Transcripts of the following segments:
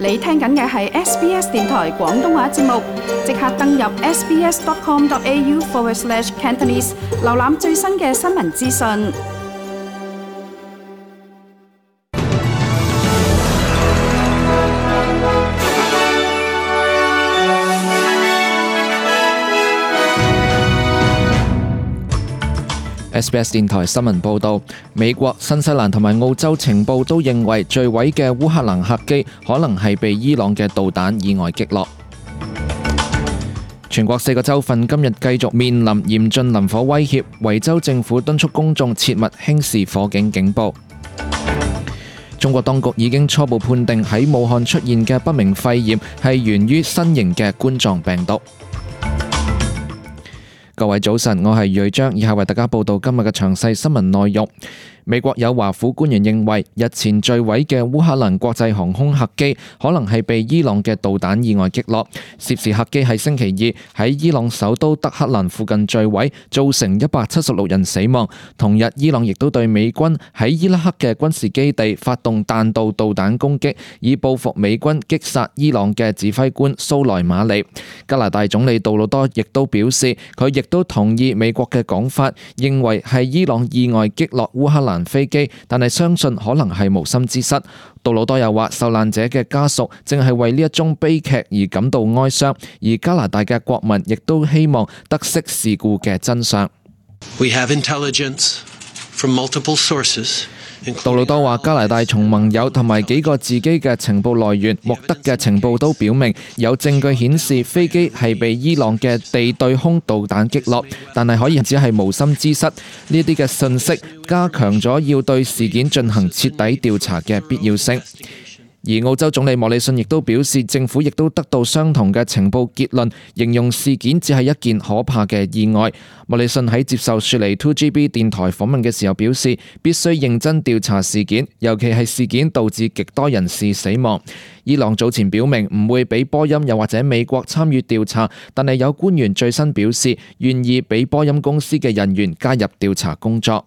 你聽緊嘅係 SBS 電台廣東話節目，即刻登入 sbs.com.au/Cantonese 瀏覽最新嘅新聞資訊。SBS 電台新聞報導，美國、新西蘭同埋澳洲情報都認為墜毀嘅烏克蘭客機可能係被伊朗嘅導彈意外擊落。全國4個州份今日繼續面臨嚴峻林火威脅，維州政府敦促公眾切勿輕視火警警報。中國當局已經初步判定喺武漢出現嘅不明肺炎係源於新型嘅冠狀病毒。各位早晨，我係瑞章，以下為大家報道今日嘅詳細新聞內容。美國有華府官員認為，日前墜毀嘅烏克蘭國際航空客機可能係被伊朗嘅導彈意外擊落。涉事客機喺星期二喺伊朗首都德黑蘭附近墜毀，造成176人死亡。同日，伊朗亦都對美軍喺伊拉克嘅軍事基地發動彈道導彈攻擊，以報復美軍擊殺伊朗嘅指揮官蘇萊馬尼。加拿大總理杜魯多亦都表示，佢亦都同意美國嘅講法，認為係伊朗意外擊落烏克蘭飛機，但係相信可能係無心之失。杜魯多又話，受難者嘅家屬正係為呢一宗悲劇而感到哀傷，而加拿大嘅國民亦都希望得悉事故嘅真相。We have intelligence from multiple sources.杜魯多話，加拿大從盟友同埋幾個自己嘅情報來源獲得嘅情報都表明，有證據顯示飛機係被伊朗嘅地對空導彈擊落，但係可以只係無心之失。呢啲嘅信息加強咗要對事件進行徹底調查嘅必要性。而澳洲總理莫里遜亦都表示，政府亦都得到相同嘅情報結論，形容事件只係一件可怕嘅意外。莫里遜喺接受雪梨 2GB 電台訪問嘅時候表示，必須認真調查事件，尤其係事件導致極多人士死亡。伊朗早前表明唔會俾波音又或者美國參與調查，但係有官員最新表示願意俾波音公司嘅人員加入調查工作。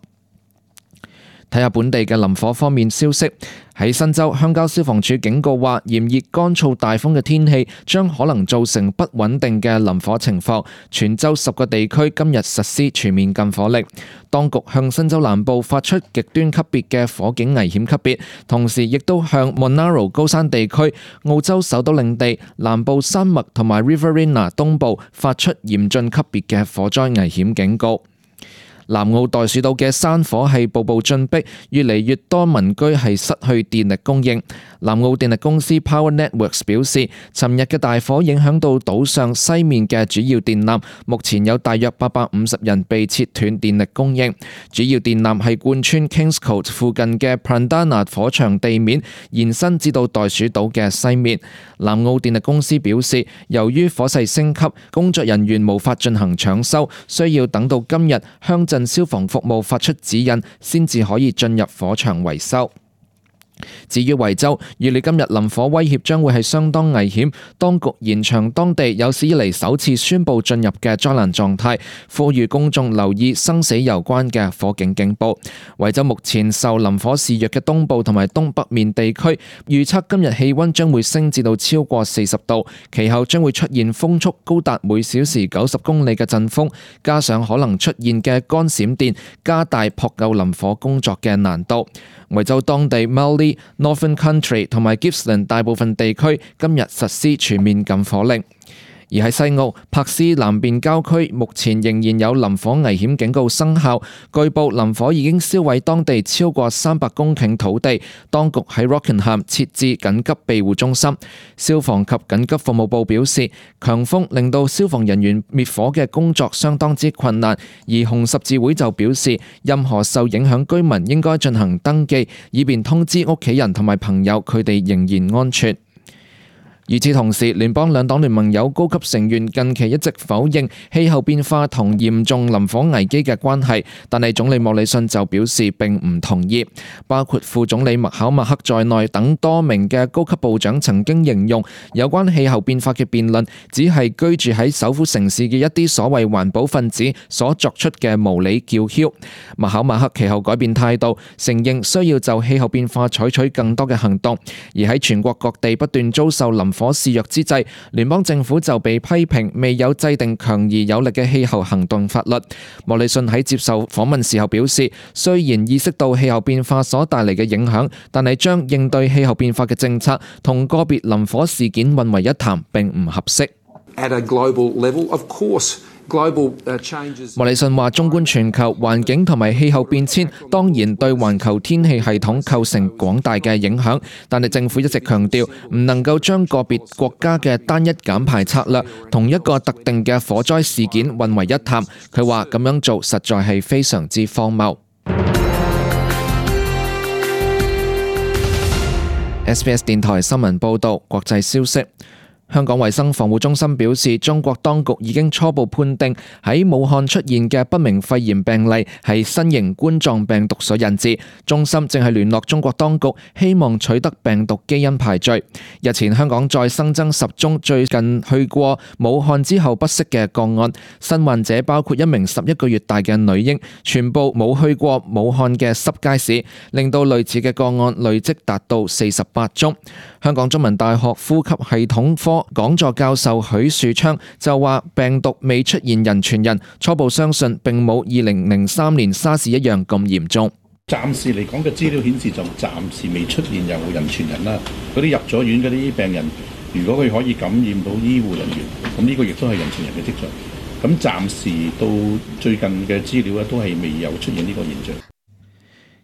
睇下本地嘅林火方面消息，喺新州鄉郊消防處警告話，炎熱乾燥大風嘅天氣將可能造成不穩定嘅林火情況。全州10個地區今日實施全面禁火令。當局向新州南部發出極端級別嘅火警危險級別，同時亦都向 Monaro 高山地區、澳洲首都領地、南部山脈同埋 Riverina 東部發出嚴峻級別嘅火災危險警告。南澳袋鼠島嘅山火係步步進逼，越嚟越多民居係失去電力供應。南澳電力公司 Power Networks 表示，尋日嘅大火影響到島上西面嘅主要電纜，目前有大約850人被切斷電力供應。主要電纜係貫穿 Kingscote 附近嘅 Prandana 火場地面，延伸至到袋鼠島嘅西面。南澳電力公司表示，由於火勢升級，工作人員無法進行搶修，需要等到今日鄉鎮消防服務發出指引，先至可以進入火場維修。至於維州，預料今日林火威脅將會係相當危險，當局延長當地有史以嚟首次宣布進入嘅災難狀態，呼籲公眾留意生死攸關嘅火警警報。維州目前受林火肆虐嘅東部同埋東北面地區，預測今日氣溫將會升至到超過40度，其後將會出現風速高達每小時90公里嘅陣風，加上可能出現嘅乾閃電，加大撲救林火工作嘅難度。維州當地 Mallee、Northern Country 同埋 Gippsland 大部分地區今日實施全面禁火令。而喺西澳柏斯南邊郊區，目前仍然有林火危險警告生效。據報林火已經燒毀當地超過300公頃土地，當局喺 Rockingham 設置緊急庇護中心。消防及緊急服務部表示，強風令到消防人員滅火嘅工作相當之困難，而紅十字會就表示，任何受影響居民應該進行登記，以便通知屋企人同埋朋友佢哋仍然安全。與此同時，聯邦兩黨聯盟有高級成員近期一直否認氣候變化同嚴重林火危機嘅關係，但係總理莫里遜就表示並唔同意。包括副總理麥考默克在內等多名嘅高級部長曾經形容有關氣候變化嘅辯論只係居住喺首府城市嘅一啲所謂環保分子所作出嘅無理叫囂。麥考默克其後改變態度，承認需要就氣候變化採取更多嘅行動。而喺全國各地不斷遭受林火肆虐之際，聯邦政府就被批評未有制定強而有力嘅氣候行動法律。莫里遜喺接受訪問時候表示，雖然意識到氣候變化所帶嚟嘅影響，但係將應對氣候變化嘅政策同個別林火事件混為一談並唔合適。莫里遜話：縱觀全球環境同埋氣候變遷，當然對環球天氣系統構成廣大嘅影響，但係政府一直強調唔能夠將個別國家嘅單一減排策略同一個特定嘅火災事件混為一談。佢話咁樣做實在係非常之荒謬。SBS 電台新聞報導，國際消息。香港衛生防護中心表示，中國當局已經初步判定喺武漢出現嘅不明肺炎病例係新型冠狀病毒所引致。中心正係聯絡中國當局，希望取得病毒基因排序。日前香港再新增10宗最近去過武漢之後不適嘅個案，新患者包括一名11個月大嘅女嬰，全部冇去過武漢嘅濕街市，令到類似嘅個案累積達到48宗。香港中文大學呼吸系統科講座教授許樹昌就話，病毒未出現人傳人，初步相信並冇2003年沙士一樣咁嚴重。暫時嚟講嘅資料顯示就暫時未出現有人傳人啦。嗰啲入咗院嗰啲病人，如果佢可以感染到醫護人員，咁呢個亦都係人傳人嘅跡象。咁暫時到最近嘅資料咧，都係未有出現呢個現象。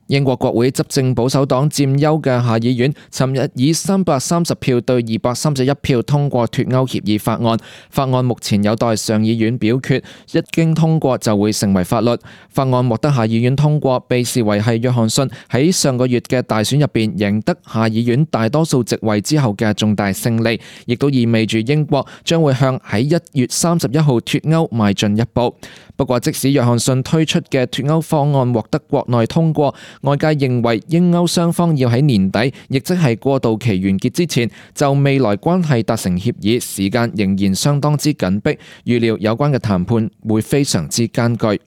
英國國會執政保守黨佔優嘅下議院，尋日以330票對231票通過脫歐協議法案。法案目前有待上議院表決，一經通過就會成為法律。法案獲得下議院通過，被視為係約翰遜喺上個月嘅大選入邊贏得下議院大多數席位之後嘅重大勝利，亦都意味住英國將會向喺1月31號脫歐邁進一步。不過，即使約翰遜推出嘅脫歐方案獲得國內通過，外界認為英歐雙方要喺年底，亦即係過渡期完結之前，就未來關係達成協議，時間仍然相當之緊迫，預料有關嘅談判會非常之艱巨。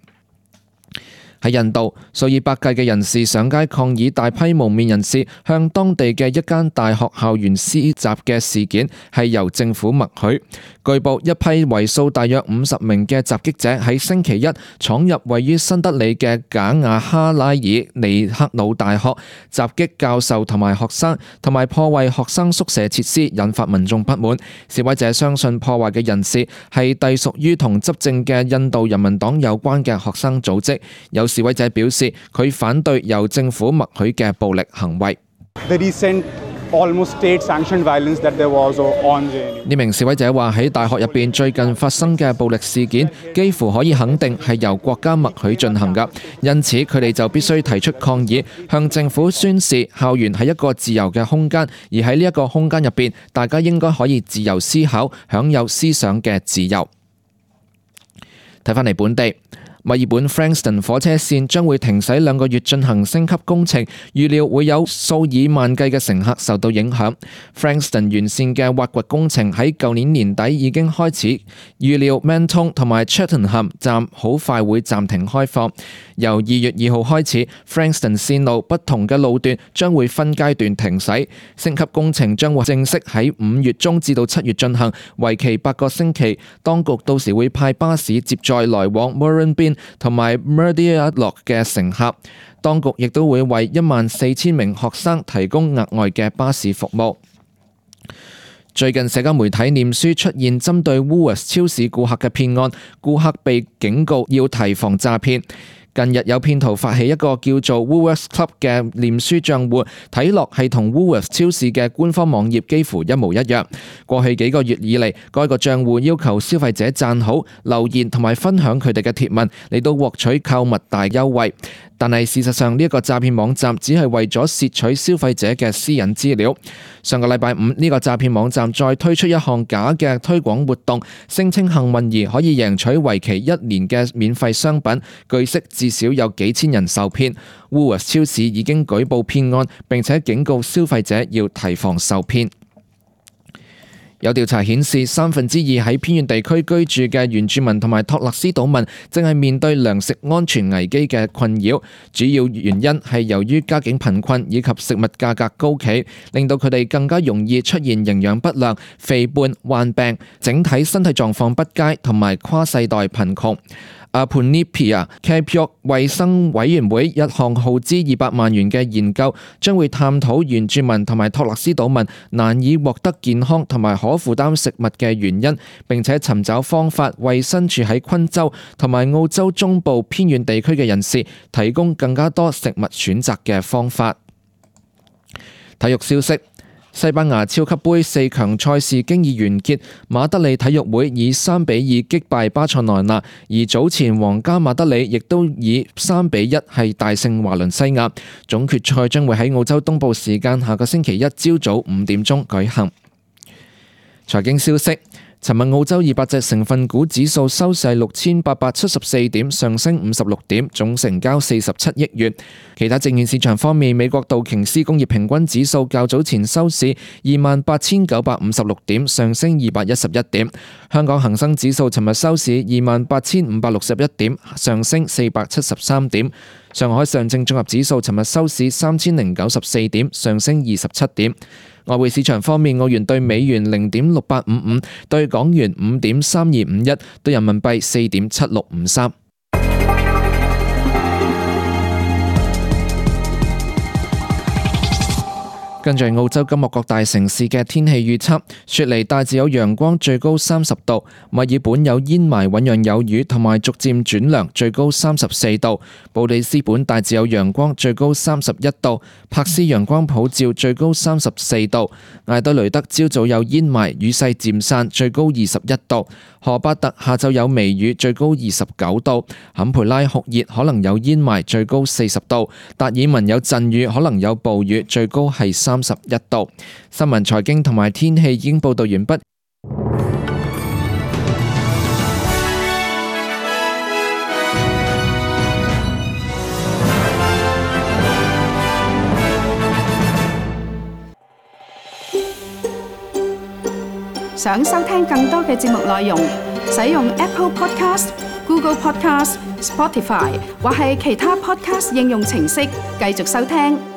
喺印度，數以百計嘅人士上街抗議大批蒙面人士向當地嘅一間大學校園施襲嘅事件係由政府默許。據報，一批為數大約50名嘅襲擊者喺星期一闖入位於新德里嘅賈亞哈拉爾尼克魯大學，襲擊教授同埋學生，同埋破壞學生宿舍設施，引發民眾不滿。示威者相信破壞嘅人士係隸屬於同執政嘅印度人民黨有關嘅學生組織。有示威者表示，佢反對由政府默許嘅暴力行為。呢名示威者話，喺大學入邊最近發生嘅暴力事件，幾乎可以肯定係由國家默許進行㗎，因此佢哋就必須提出抗議，向政府宣示校園係一個自由嘅空間，而喺呢一個空間入邊，大家應該可以自由思考，享有思想嘅自由。睇返嚟本地。墨爾本 Frankston 火車線將會停駛2個月進行升級工程，預料會有數以萬計嘅乘客受到影響。Frankston 沿線嘅挖掘工程喺舊年年底已經開始，預料 Mentone 同埋 Cheltenham 站好快會暫停開放。由2月2號開始 ，Frankston 線路不同嘅路段將會分階段停駛。升級工程將會正式喺5月中至到7月進行，為期8個星期。當局到時會派巴士接載來往 Murrumbidgee 同埋 Murdialloc 嘅乘客，當局亦都會為14,000名學生提供額外嘅巴士服務。最近社交媒體臉書出現針對 Woolworths 超市顧客嘅騙案，顧客被警告要提防詐騙。近日有騙徒發起一個叫做 Woolworths Club 嘅臉書賬戶，睇落係同 Woolworths 超市嘅官方網頁幾乎一模一樣。過去幾個月以嚟，該個賬戶要求消費者讚好、留言同埋分享佢哋嘅貼文，嚟到獲取購物大優惠。但係事實上呢一個詐騙網站只係為咗竊取消費者嘅私隱資料。上個禮拜五，呢個詐騙網站再推出一項假嘅推廣活動，聲稱幸運兒可以贏取為期1年嘅免費商品，據悉至少有幾千人受騙。Woolworths 超市已經舉報騙案，並且警告消費者要提防受騙。有調查顯示，2/3喺偏遠地區居住嘅原住民同埋托勒斯島民正係面對糧食安全危機嘅困擾，主要原因係由於家境貧困以及食物價格高企，令到佢哋更加容易出現營養不良、肥胖、患病、整體身體狀況不佳同埋跨世代貧窮。Apunipia Capiok 衛生委員會一項耗資200萬元嘅研究，將會探討原住民同埋托勒斯島民難以獲得健康同埋可負擔食物嘅原因，並且尋找方法為身處喺昆州同埋澳洲中部偏遠地區嘅人士提供更加多食物選擇嘅方法。體育消息。西班牙超級盃4強賽事經已完結，馬德里體育會以3-2擊敗巴塞羅那，而早前皇家馬德里亦都以3-1係大勝華倫西亞。總決賽將會喺澳洲東部時間下個星期一朝早5點鐘舉行。財經消息。尋日澳洲200隻成分股指數收市6874點，上升56點，總成交47億元。其他證券市場方面，美國道瓊斯工業平均指數較早前收市28,956點，上升211點。香港恒生指數尋日收市28,561點，上升473點。上海上證綜合指數尋日收市3094點，上升27點。外匯市場方面，澳元對美元0.6855，對港元5.3251，對人民幣4.7653。跟住澳洲今日各大城市嘅天氣預測：雪梨大致有陽光，最高30度；墨爾本有煙霾，醞釀有雨，同埋逐漸轉涼，最高34度；布里斯本大致有陽光，最高31度；柏斯陽光普照，最高34度；艾德雷德朝早有煙霾，雨勢漸散，最高21度；荷巴特下晝有微雨，最高29度；坎培拉酷熱，可能有煙霾，最高40度；達爾文有陣雨，可能有暴雨，最高係31度。新聞、財經同埋天氣已經報道完畢。想收聽更多嘅節目內容，使用 Apple Podcast、Google Podcast、Spotify 或係其他 Podcast 應用程式繼續收聽。